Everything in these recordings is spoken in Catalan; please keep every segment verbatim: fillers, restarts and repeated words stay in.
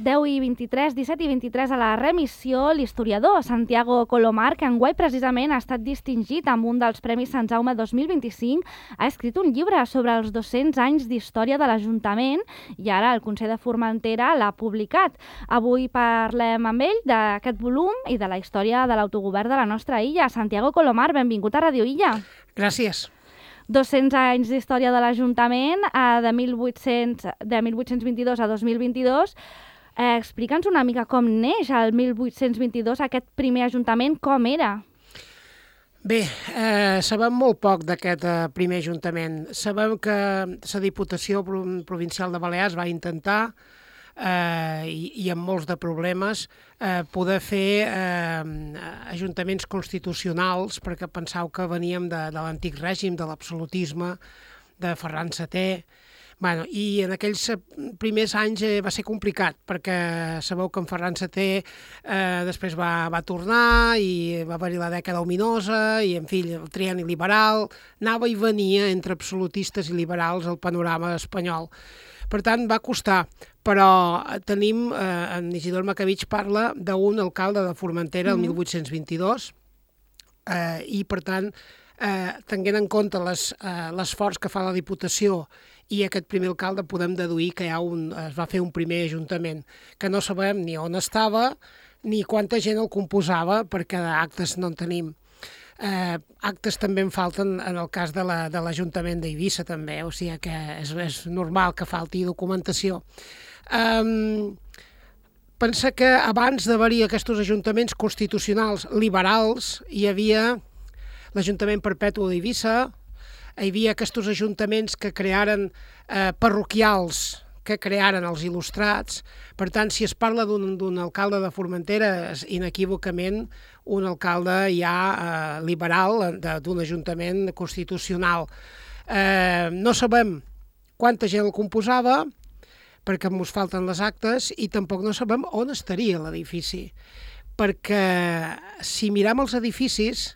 deu i vint-i-tres, disset i vint-i-tres a la remissió, l'historiador Santiago Colomar, que enguany precisament ha estat distingit amb un dels Premis Sant Jaume dos mil vint-i-cinc, ha escrit un llibre sobre els dos-cents anys d'història de l'Ajuntament i ara el Consell de Formentera l'ha publicat. Avui parlem amb ell d'aquest volum i de la història de l'autogovern de la nostra illa. Santiago Colomar, benvingut a Radio Illa. Gràcies. dos-cents anys d'història de l'Ajuntament, de mil vuit-cents vint-i-dos a dos mil vint-i-dos. Eh, Explica'ns una mica com neix el mil vuit-cents vint-i-dos aquest primer Ajuntament, com era? Bé, eh, sabem molt poc d'aquest eh, primer Ajuntament. Sabem que la Diputació Provincial de Balears va intentar, eh, i, i amb molts de problemes, eh, poder fer eh, ajuntaments constitucionals, perquè pensau que veníem de, de l'antic règim, de l'absolutisme, de Ferran setè. Bueno, i en aquells primers anys eh, va ser complicat, perquè sabeu que en Ferran setè eh, després va, va tornar i va haver-hi la dècada ominosa i, en fi, el trienni liberal, anava i venia entre absolutistes i liberals el panorama espanyol. Per tant, va costar, però tenim, eh, en Isidor Macabich parla d'un alcalde de Formentera el mil vuit-cents vint-i-dos eh, i, per tant, eh, tenint en compte l'esforç que fa la Diputació i aquest primer alcalde, podem deduir que hi ha un, es va fer un primer ajuntament, que no sabem ni on estava ni quanta gent el composava, perquè d'actes no en tenim. Eh, actes també en falten en el cas de l'Ajuntament la, d'Eivissa també, o sigui que és, és normal que falti documentació. Um, pensa que abans d'haver-hi aquests ajuntaments constitucionals liberals hi havia l'Ajuntament Perpetu d'Eivissa, hi havia aquests ajuntaments que crearen eh, parroquials, que crearen els il·lustrats. Per tant, si es parla d'un alcalde de Formentera, és inequívocament un alcalde ja eh, liberal d'un ajuntament constitucional. Eh, no sabem quanta gent el composava, perquè ens falten les actes, i tampoc no sabem on estaria l'edifici. Perquè si miram els edificis,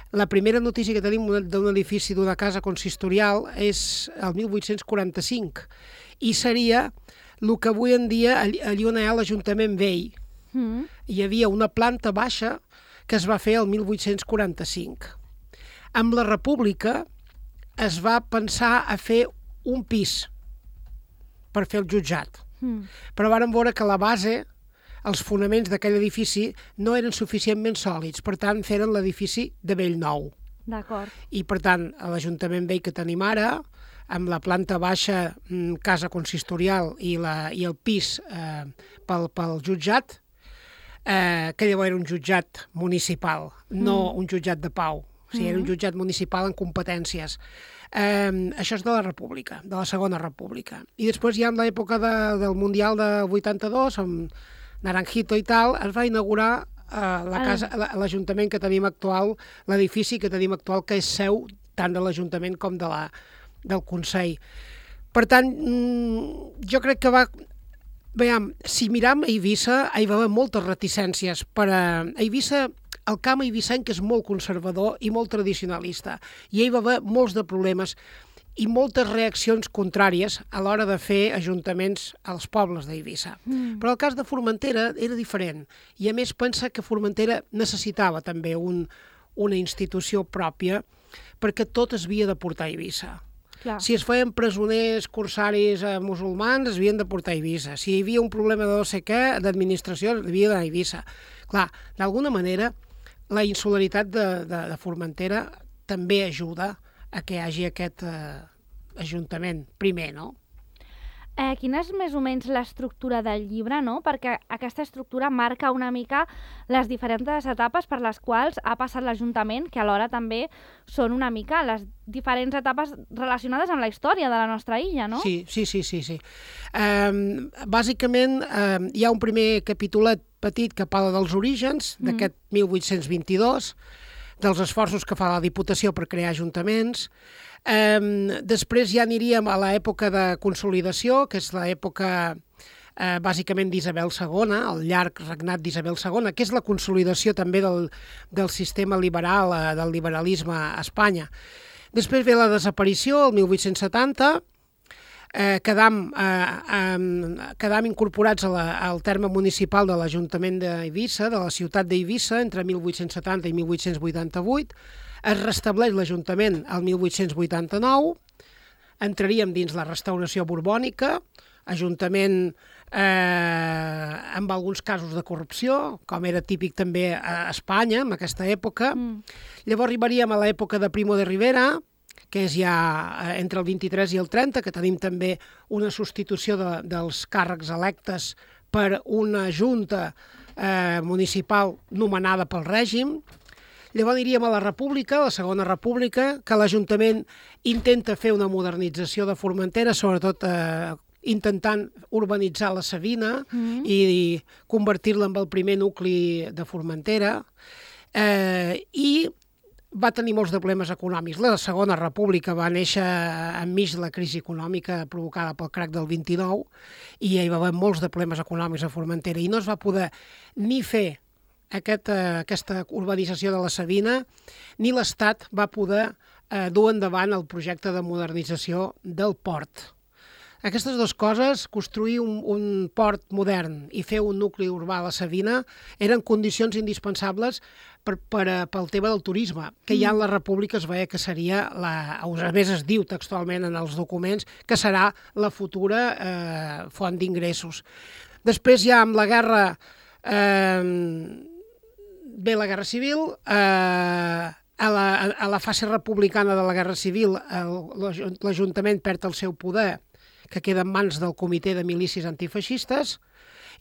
la primera notícia que tenim d'un edifici d'una casa consistorial és el mil vuit-cents quaranta-cinc, i seria el que avui en dia allí on hi ha l'Ajuntament Vell. Mm. Hi havia una planta baixa que es va fer el mil vuit-cents quaranta-cinc. Amb la República es va pensar a fer un pis per fer el jutjat. Mm. Però vàrem veure que la base, els fonaments d'aquell edifici no eren suficientment sòlids, per tant feren l'edifici de Bellnou. D'acord. I per tant l'Ajuntament Vell que tenim ara, amb la planta baixa, casa consistorial i, la, i el pis eh, pel, pel jutjat, eh, que llavors era un jutjat municipal, no mm. un jutjat de pau, o sigui, mm. era un jutjat municipal en competències. Eh, això és de la República, de la Segona República. I després ja en l'època de, del Mundial de vuitanta-dos, amb Naranjito i tal, es va inaugurar eh, la casa, l'Ajuntament que tenim actual, l'edifici que tenim actual, que és seu tant de l'Ajuntament com de la, del Consell. Per tant, jo crec que va... Veiem, si miram a Eivissa, hi va haver moltes reticències. Per a Eivissa, el camp eivissenc és molt conservador i molt tradicionalista, i hi va haver molts de problemes i moltes reaccions contràries a l'hora de fer ajuntaments als pobles d'Eivissa. Mm. Però el cas de Formentera era diferent, i a més pensa que Formentera necessitava també un, una institució pròpia, perquè tot es havia de portar a Eivissa. Clar. Si es feien presoners corsaris eh, musulmans, es havien de portar a Eivissa. Si hi havia un problema de no sé què, d'administració, es havia d'anar a Eivissa. Clar, d'alguna manera, la insularitat de, de, de Formentera també ajuda a que hi hagi aquest eh, ajuntament primer, no? Eh, quina és més o menys l'estructura del llibre, no? Perquè aquesta estructura marca una mica les diferents etapes per les quals ha passat l'Ajuntament, que alhora també són una mica les diferents etapes relacionades amb la història de la nostra illa, no? Sí, sí, sí, sí. sí. Um, bàsicament, um, hi ha un primer capítolet petit que parla dels orígens mm. d'aquest mil vuit-cents vint-i-dos, dels esforços que fa la Diputació per crear ajuntaments. Um, després ja aniríem a l'època de consolidació, que és l'època eh, bàsicament d'Isabel segona, el llarg regnat d'Isabel segona, que és la consolidació també del, del sistema liberal, eh, del liberalisme a Espanya. Després ve la desaparició, el mil vuit-cents setanta, eh, quedam, eh, eh, quedam incorporats a la, al terme municipal de l'Ajuntament d'Eivissa, de la ciutat d'Eivissa, entre mil vuit-cents setanta i mil vuit-cents vuitanta-vuit. Es restableix l'Ajuntament al mil vuit-cents vuitanta-nou, entraríem dins la restauració borbònica, Ajuntament eh, amb alguns casos de corrupció, com era típic també a Espanya en aquesta època. Mm. Llavors arribaríem a l'època de Primo de Rivera, que és ja entre el vint-i-tres i el trenta, que tenim també una substitució de, dels càrrecs electes per una junta eh, municipal nomenada pel règim. Llavors aniríem a la República, la Segona República, que l'Ajuntament intenta fer una modernització de Formentera, sobretot eh, intentant urbanitzar la Savina mm. i, i convertir-la en el primer nucli de Formentera. Eh, I va tenir molts de problemes econòmics. La Segona República va néixer enmig de la crisi econòmica provocada pel crac del vint-i-nou i hi va haver molts de problemes econòmics a Formentera i no es va poder ni fer Aquest, eh, aquesta urbanització de la Savina, ni l'Estat va poder eh, dur endavant el projecte de modernització del port. Aquestes dues coses, construir un, un port modern i fer un nucli urbà a la Savina, eren condicions indispensables per, per, pel tema del turisme, que ja en la República es veia que seria, la, a més es diu textualment en els documents, que serà la futura eh, font d'ingressos. Després ja amb la guerra... Eh, Ve la Guerra Civil, eh, a, la, a la fase republicana de la Guerra Civil l'Ajuntament perd el seu poder, que queda en mans del Comitè de Milícies Antifeixistes,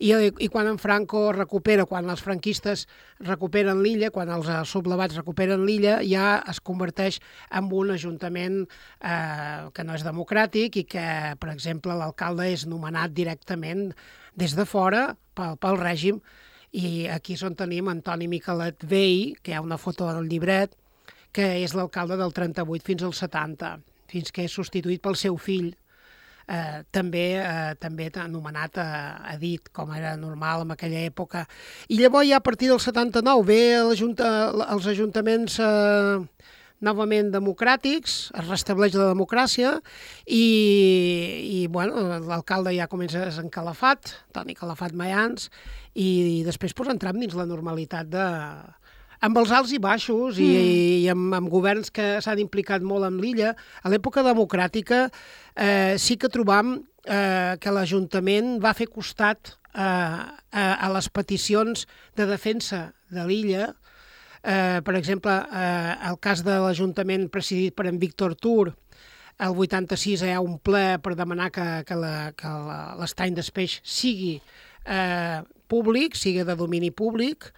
i, i quan en Franco recupera, quan els franquistes recuperen l'illa, quan els sublevats recuperen l'illa, ja es converteix en un ajuntament eh, que no és democràtic i que, per exemple, l'alcalde és nomenat directament des de fora pel, pel règim. I aquí és on tenim Antoni Miquelet Vell, que hi ha una foto del llibret, que és l'alcalde del trenta-vuit fins al setanta, fins que és substituït pel seu fill, eh, també eh, també anomenat eh, Edit, com era normal en aquella època. I llavors ja a partir del setanta-nou ve els ajuntaments eh, novament democràtics, es restableix la democràcia i, i bueno, l'alcalde ja comença a ser encalafat, Toni Calafat Mayans, i, i després pues, entrem dins la normalitat de... amb els alts i baixos mm. i, i amb, amb governs que s'han implicat molt en l'illa. A l'època democràtica eh, sí que trobam eh, que l'Ajuntament va fer costat eh, a, a les peticions de defensa de l'illa. Eh, per exemple, eh, el cas de l'Ajuntament presidit per en Víctor Tur, el vuitanta-sis hi ha un ple per demanar que, que, la, que la, l'estany d'Espeix sigui eh, públic, sigui de domini públic,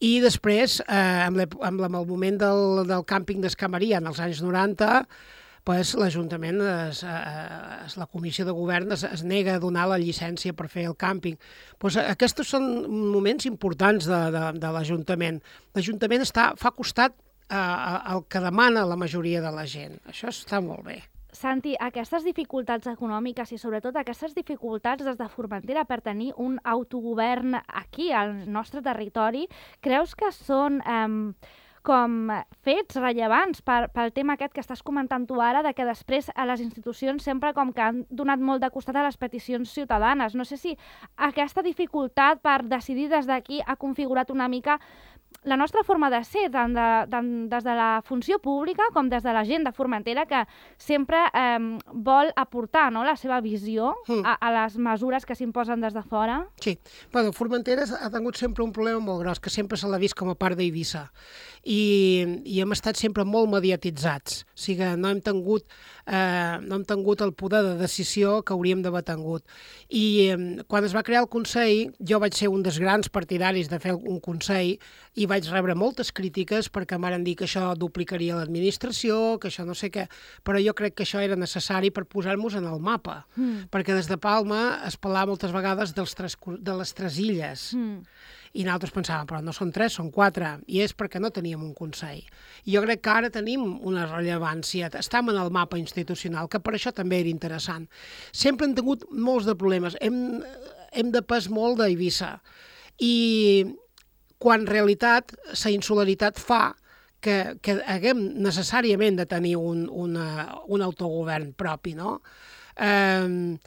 i després, eh, amb, amb, amb el moment del, del càmping d'Escamaria en els anys noranta, pues, l'Ajuntament, es, es, la Comissió de Govern es, es nega a donar la llicència per fer el càmping. Pues, aquests són moments importants de, de, de l'Ajuntament. L'Ajuntament està, fa costat eh, al que demana la majoria de la gent. Això està molt bé. Santi, aquestes dificultats econòmiques i sobretot aquestes dificultats des de Formentera per tenir un autogovern aquí, al nostre territori, creus que són... Eh, com fets rellevants per, pel tema aquest que estàs comentant tu ara, de que després a les institucions sempre com que han donat molt de costat a les peticions ciutadanes. No sé si aquesta dificultat per decidir des d'aquí ha configurat una mica la nostra forma de ser, tant, de, tant des de la funció pública com des de la gent de Formentera, que sempre eh, vol aportar, no?, la seva visió mm. a, a les mesures que s'imposen des de fora. Sí. Bueno, Formentera ha tingut sempre un problema molt gros, que sempre se l'ha vist com a part d'Eivissa. I, i hem estat sempre molt mediatitzats. O sigui, no hem tingut, eh, no hem tingut el poder de decisió que hauríem d'haver tingut. I eh, quan es va crear el Consell, jo vaig ser un dels grans partidaris de fer un Consell i vaig rebre moltes crítiques perquè em van dir que això duplicaria l'administració, que això no sé què, però jo crec que això era necessari per posar-nos en el mapa, mm. perquè des de Palma es parlava moltes vegades dels tres, de les tres illes. Mm. I nosaltres pensàvem, però no són tres, són quatre, i és perquè no teníem un Consell. I jo crec que ara tenim una rellevància, estem en el mapa institucional, que per això també era interessant. Sempre hem tingut molts de problemes, hem, hem depès molt d'Eivissa, i quan en realitat la insularitat fa que, que haguem necessàriament de tenir un, una, un autogovern propi, no? eh,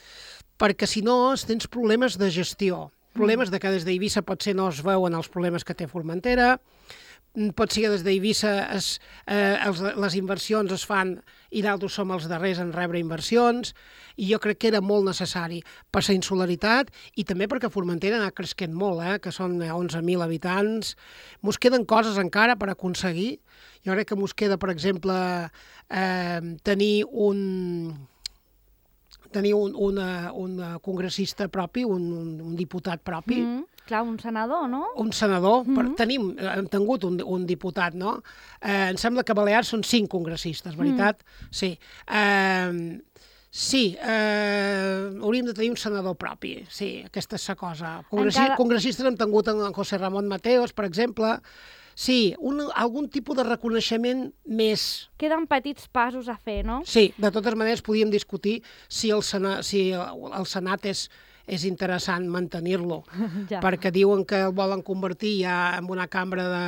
perquè si no tens problemes de gestió, problemes de que des d'Eivissa potser no es veuen els problemes que té Formentera, pot ser que des d'Eivissa es, eh, els, les inversions es fan i d'altres som els darrers en rebre inversions, i jo crec que era molt necessari per la insularitat i també perquè Formentera ha anat cresquent molt, eh, que són onze mil habitants. Mos queden coses encara per aconseguir. Jo crec que mos queda, per exemple, eh, tenir un... tenir un, una, un congressista propi, un, un, un diputat propi. Mm, clar, un senador, no? Un senador. Mm-hmm. per, tenim, hem tingut un, un diputat, no? Eh, em sembla que a Balears són cinc congressistes, veritat? Mm. Sí. Eh, sí, eh, hauríem de tenir un senador propi. Sí, aquesta és la cosa. Congressi Encara... Congressistes hem tingut en José Ramon Mateos, per exemple. Sí, un, algun tipus de reconeixement més... Queden petits passos a fer, no? Sí, de totes maneres podíem discutir si el, Sena, si el, el Senat és, és interessant mantenir-lo, ja. Perquè diuen que el volen convertir ja en una cambra de,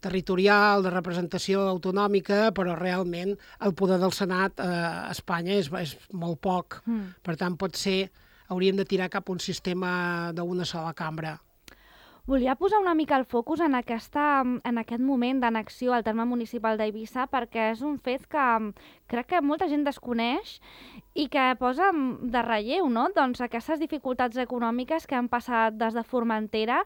territorial, de representació autonòmica, però realment el poder del Senat eh, a Espanya és, és molt poc. Mm. Per tant, potser hauríem de tirar cap a un sistema d'una sola cambra. Volia posar una mica el focus en, aquesta, en aquest moment d'annexió al terme municipal d'Eivissa perquè és un fet que crec que molta gent desconeix i que posa de relleu, no? Doncs aquestes dificultats econòmiques que han passat des de Formentera,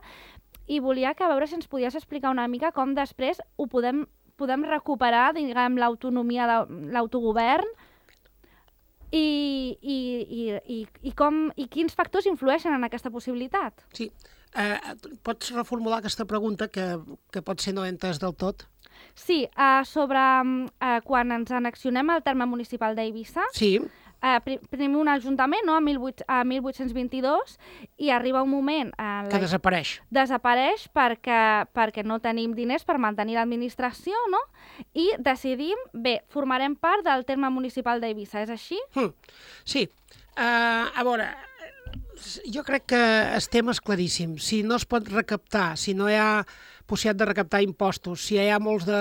i volia que a veure si ens podies explicar una mica com després ho podem, podem recuperar, diguem, l'autonomia, l'autogovern i, i, i, i, i, com, i quins factors influeixen en aquesta possibilitat. Sí. Eh, pots reformular aquesta pregunta que, que potser no he entès del tot? Sí, uh, sobre uh, quan ens annexionem al terme municipal d'Eivissa, sí. uh, tenim un ajuntament, no?, a mil vuit-cents vint-i-dos, i arriba un moment... Uh, que desapareix. Desapareix perquè, perquè no tenim diners per mantenir l'administració, no?, i decidim, bé, formarem part del terme municipal d'Eivissa, és així? Hmm. Sí. Uh, a veure... Jo crec que el tema és claríssim. Si no es pot recaptar, si no hi ha possibilitat de recaptar impostos, si hi ha molts de,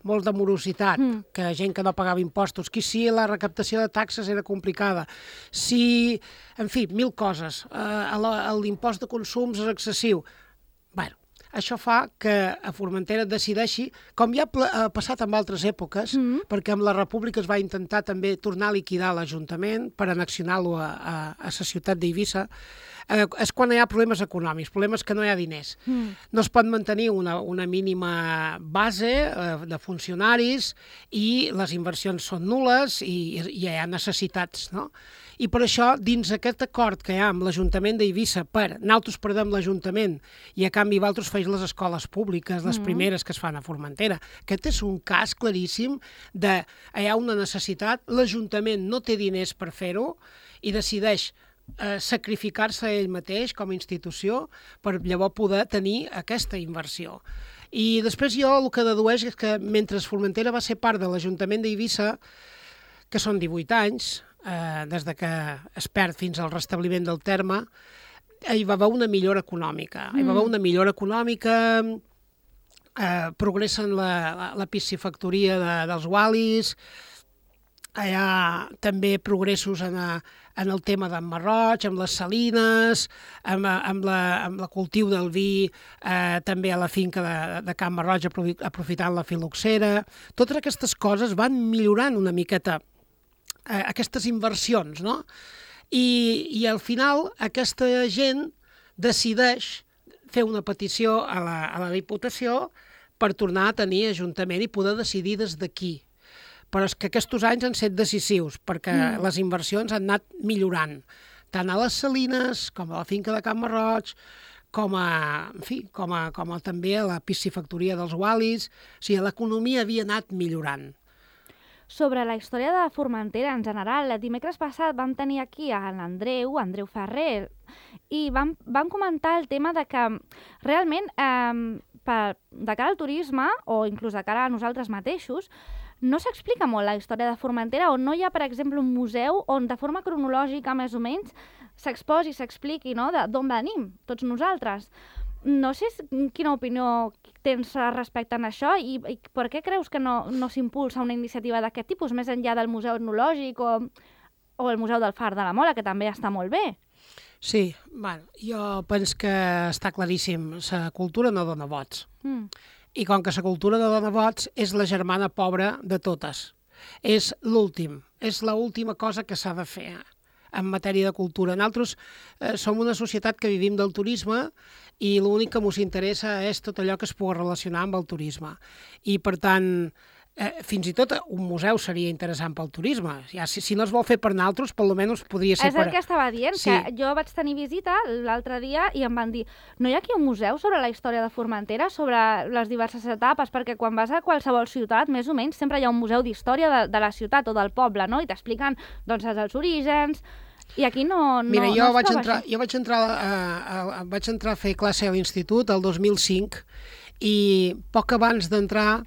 molts de morositat, mm. que gent que no pagava impostos, que si la recaptació de taxes era complicada, si, en fi, mil coses, eh, l'impost de consums és excessiu. Bueno, això fa que a Formentera decideixi, com ja ha passat en altres èpoques, mm. perquè amb la República es va intentar també tornar a liquidar l'Ajuntament per annexionar-lo a, a, a la ciutat d'Eivissa, eh, és quan hi ha problemes econòmics, problemes que no hi ha diners. Mm. No es pot mantenir una, una mínima base eh, de funcionaris i les inversions són nules i, i hi ha necessitats, no? I per això, dins aquest acord que hi ha amb l'Ajuntament d'Eivissa per nosaltres perdem l'Ajuntament i a canvi vosaltres feis les escoles públiques, les mm. primeres que es fan a Formentera, aquest és un cas claríssim de hi ha una necessitat, l'Ajuntament no té diners per fer-ho i decideix eh, sacrificar-se ell mateix com a institució per llavors poder tenir aquesta inversió. I després jo el que dedueix és que mentre Formentera va ser part de l'Ajuntament d'Eivissa, que són divuit anys, Eh, des de que es perd fins al restabliment del terme, hi va haver una millora econòmica. Mm. Hi va haver una millora econòmica, eh, progressa en la, la, la piscifactoria de, dels Wallis, hi ha també progressos en, a, en el tema d'en Marroig, amb les salines, amb, amb, la, amb la cultiu del vi, eh, també a la finca de, de Can Marroig, aprofitant la filoxera. Totes aquestes coses van millorant una miqueta aquestes inversions, no? I, i al final aquesta gent decideix fer una petició a la, a la Diputació per tornar a tenir ajuntament i poder decidir des d'aquí. Però és que aquests anys han estat decisius perquè mm. les inversions han anat millorant, tant a les salines com a la finca de Can Marroig, com a, en fi, com a, com a també a la piscifactoria dels Wallis. O sigui, l'economia havia anat millorant. Sobre la història de Formentera en general, el dimecres passat vam tenir aquí a l'Andreu, Andreu Ferrer, i vam, vam comentar el tema de que realment eh, per, de cara al turisme, o inclús de cara a nosaltres mateixos, no s'explica molt la història de Formentera, on no hi ha, per exemple, un museu on de forma cronològica, més o menys, s'exposi, s'expliqui, no?, d'on venim, tots nosaltres. No sé quina opinió tens respecte a això i, i per què creus que no, no s'impulsa una iniciativa d'aquest tipus, més enllà del museu etnològic o o el Museu del Far de la Mola, que també està molt bé. Sí, bueno, jo penso que està claríssim, la cultura no dona vots. Mm. I com que la cultura no dona vots, és la germana pobra de totes. És l'últim, és l'última cosa que s'ha de fer en matèria de cultura. Nosaltres eh, som una societat que vivim del turisme i l'únic que ens interessa és tot allò que es pugui relacionar amb el turisme. I, per tant, eh, fins i tot un museu seria interessant pel turisme. Ja, si, si no es vol fer per nosaltres, per almenys podria ser és per... És el que estava dient, sí. que jo vaig tenir visita l'altre dia i em van dir no hi ha aquí un museu sobre la història de Formentera, sobre les diverses etapes, perquè quan vas a qualsevol ciutat, més o menys, sempre hi ha un museu d'història de, de la ciutat o del poble, no? I t'expliquen doncs, els orígens, i aquí no, no, Mira, jo no es vaig troba entrar, així. jo vaig entrar, a, a, a, vaig entrar a fer classe a l'institut el dos mil cinc i poc abans d'entrar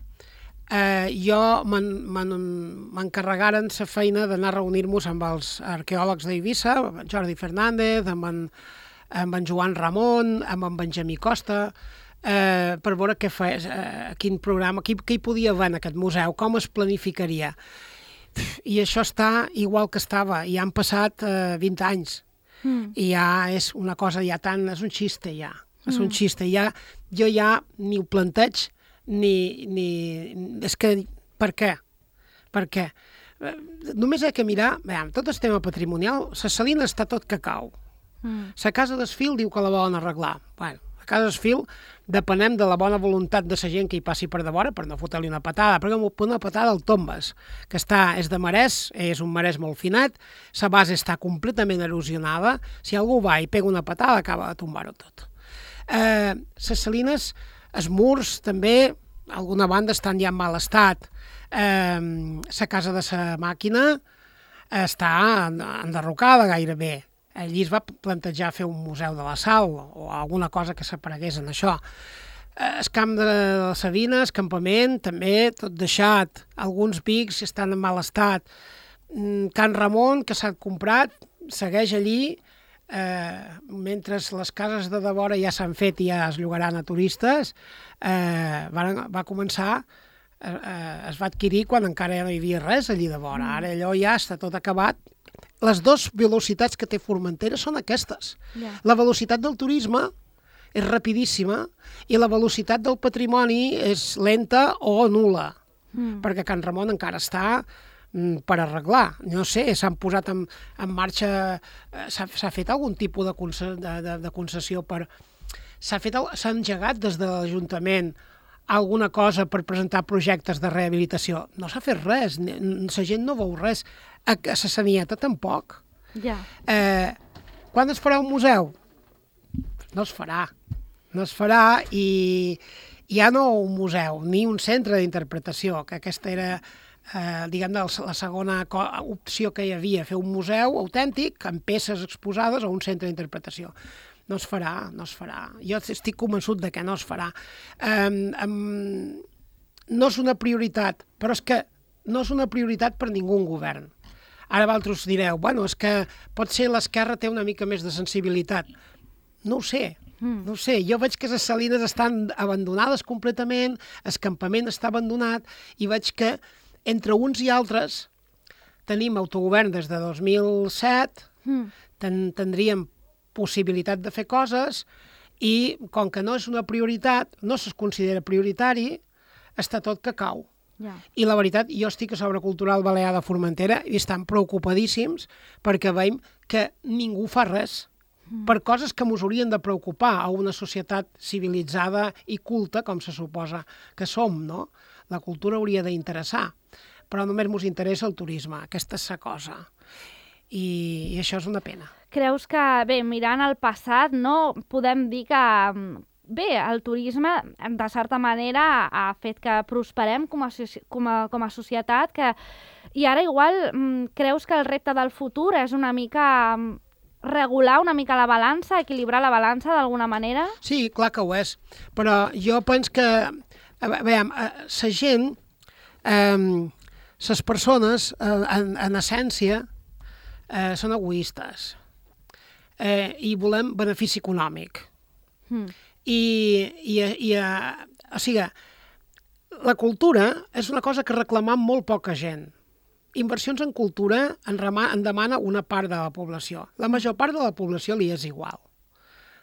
eh, jo m'encarregaren la feina d'anar a reunir-nos amb els arqueòlegs d'Eivissa, amb en Jordi Fernández, amb en, amb en Joan Ramon, amb en Benjamí Costa, eh, per veure què fes, eh, quin programa, què, què hi podia haver en aquest museu, com es planificaria. I això està igual que estava, i han passat eh, vint anys, mm. i ja és una cosa ja tan... és un xiste ja, és mm. un xiste, ja, jo ja ni ho planteig, ni... ni és que, per què? Per què? Eh, només hi ha que mirar, veiem, tot el tema patrimonial, la Salina està tot que cau. Mm. La Casa d'Esfil diu que la volen arreglar. Bueno, la Casa d'Esfil depenem de la bona voluntat de la gent que hi passi per davora per no fotre-li una patada, perquè una patada al tombes, que està, és de marès, és un marès molt finat, la base està completament erosionada, si algú va i pega una patada acaba de tombar-ho tot. Eh, les salines, els murs també, alguna banda estan ja en mal estat, eh, la casa de la màquina està enderrocada gairebé. Allí es va plantejar fer un museu de la sal o alguna cosa que s'aparegués en això. El camp de la Sabina, el campament, també tot deixat. Alguns pics estan en mal estat. Can Ramon, que s'ha comprat, segueix allí, eh, mentre les cases de devora ja s'han fet i ja es llogaran a turistes, eh, va, va començar... Eh, es va adquirir quan encara no hi havia res allí de vora. Ara allò ja està tot acabat. Les dues velocitats que té Formentera són aquestes. Yeah. La velocitat del turisme és rapidíssima i la velocitat del patrimoni és lenta o nul·la, mm. perquè Can Ramon encara està mm, per arreglar. No sé, s'han posat en, en marxa... Eh, s'ha fet algun tipus de, conce, de, de, de concessió per... S'ha fet, s'ha engegat des de l'Ajuntament alguna cosa per presentar projectes de rehabilitació. No s'ha fet res, la gent no veu res. A la Sanieta tampoc. Ja. Eh, quan es farà un museu? No es farà. No es farà i ja no un museu, ni un centre d'interpretació, que aquesta era eh, diguem, la segona opció que hi havia, fer un museu autèntic amb peces exposades o un centre d'interpretació. No es farà, no es farà. Jo estic convençut de que no es farà. Um, um, no és una prioritat, però és que no és una prioritat per ningú govern. Ara vosaltres direu, bueno, és que potser l'esquerra té una mica més de sensibilitat. No ho sé, mm. no ho sé. Jo veig que les salines estan abandonades completament, el campament està abandonat, i veig que entre uns i altres tenim autogovern des de dos mil set, mm. ten tindríem possibilitat de fer coses i com que no és una prioritat, no es considera prioritari, està tot que cau. Yeah. I la veritat, jo estic a Sobre Cultural Balear de Formentera i estan preocupadíssims perquè veiem que ningú fa res mm. per coses que ens haurien de preocupar a una societat civilitzada i culta, com se suposa que som, no? La cultura hauria d'interessar, però només ens interessa el turisme, aquesta és la cosa. I, i això és una pena. Creus que, bé, mirant el passat, no podem dir que, bé, el turisme, de certa manera, ha fet que prosperem com a, com a, com a societat, que, i ara igual creus que el repte del futur és una mica regular una mica la balança, equilibrar la balança d'alguna manera? Sí, clar que ho és, però jo penso que, veiem, la gent, les persones, en, en essència, eh, són egoistes. Eh, i volem benefici econòmic. Mm. I, i, i o sigui, la cultura és una cosa que reclama molt poca gent. inversions en cultura en, rema, en demana una part de la població. La major part de la població li és igual.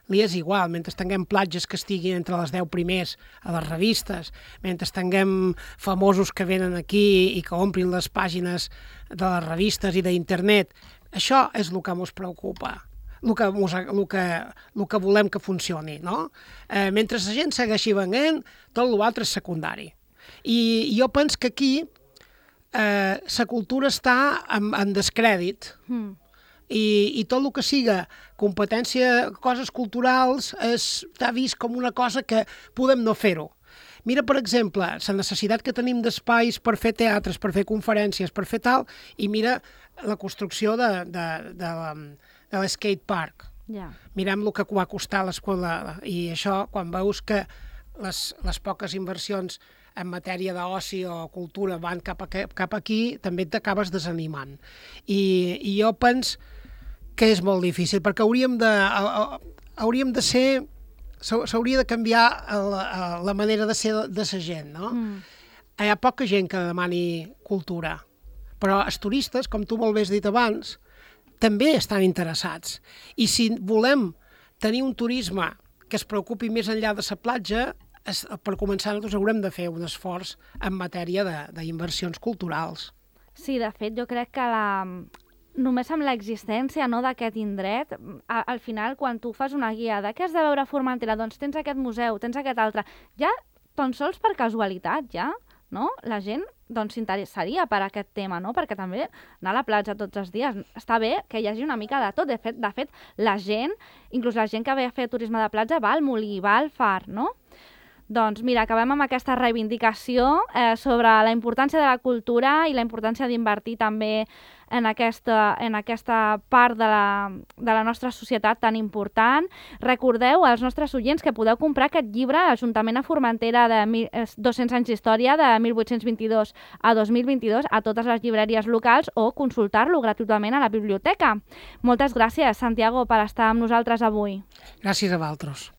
Li és igual, mentre tinguem platges que estiguin entre les deu primers a les revistes, mentre tinguem famosos que venen aquí i que omplin les pàgines de les revistes i d'internet. Això és el que ens preocupa, el que, el que, el que volem que funcioni, no? Eh, mentre la gent segueixi venent, tot l'altre és secundari. I jo penso que aquí eh, la cultura està en, en descrèdit. Mm. I, i tot el que siga competència, coses culturals, està vist com una cosa que podem no fer-ho. Mira, per exemple, la necessitat que tenim d'espais per fer teatres, per fer conferències, per fer tal, i mira la construcció de, de, de, de l'skate park. Yeah. Mirem el que va costar l'escola, i això, quan veus que les, les poques inversions en matèria d'oci o cultura van cap, a, cap aquí, també t'acabes desanimant. I, i jo penso que és molt difícil, perquè hauríem de, hauríem de ser, s'hauria de canviar la, la manera de ser de la gent, no? Mm. Hi ha poca gent que demani cultura, però els turistes, com tu molt bé has dit abans, també estan interessats. I si volem tenir un turisme que es preocupi més enllà de la platja, es, per començar nosaltres haurem de fer un esforç en matèria d'inversions culturals. Sí, de fet, jo crec que la... només amb l'existència, no, d'aquest indret, a, al final, quan tu fas una guia de què has de veure a Formentera, doncs tens aquest museu, tens aquest altre, ja tan sols per casualitat, ja, no? La gent doncs s'interessaria per aquest tema, no? Perquè també anar a la platja tots els dies està bé que hi hagi una mica de tot. De fet, de fet la gent, inclús la gent que ve a fer turisme de platja, va al Molí, va al Far, no? Doncs mira, acabem amb aquesta reivindicació eh, sobre la importància de la cultura i la importància d'invertir també en aquesta, en aquesta part de la, de la nostra societat tan important. Recordeu als nostres oients que podeu comprar aquest llibre, Ajuntament a Formentera, de mil, dos-cents anys d'història, de mil vuit-cents vint-i-dos a dos mil vint-i-dos, a totes les llibreries locals, o consultar-lo gratuïtament a la biblioteca. Moltes gràcies, Santiago, per estar amb nosaltres avui. Gràcies a vosaltres.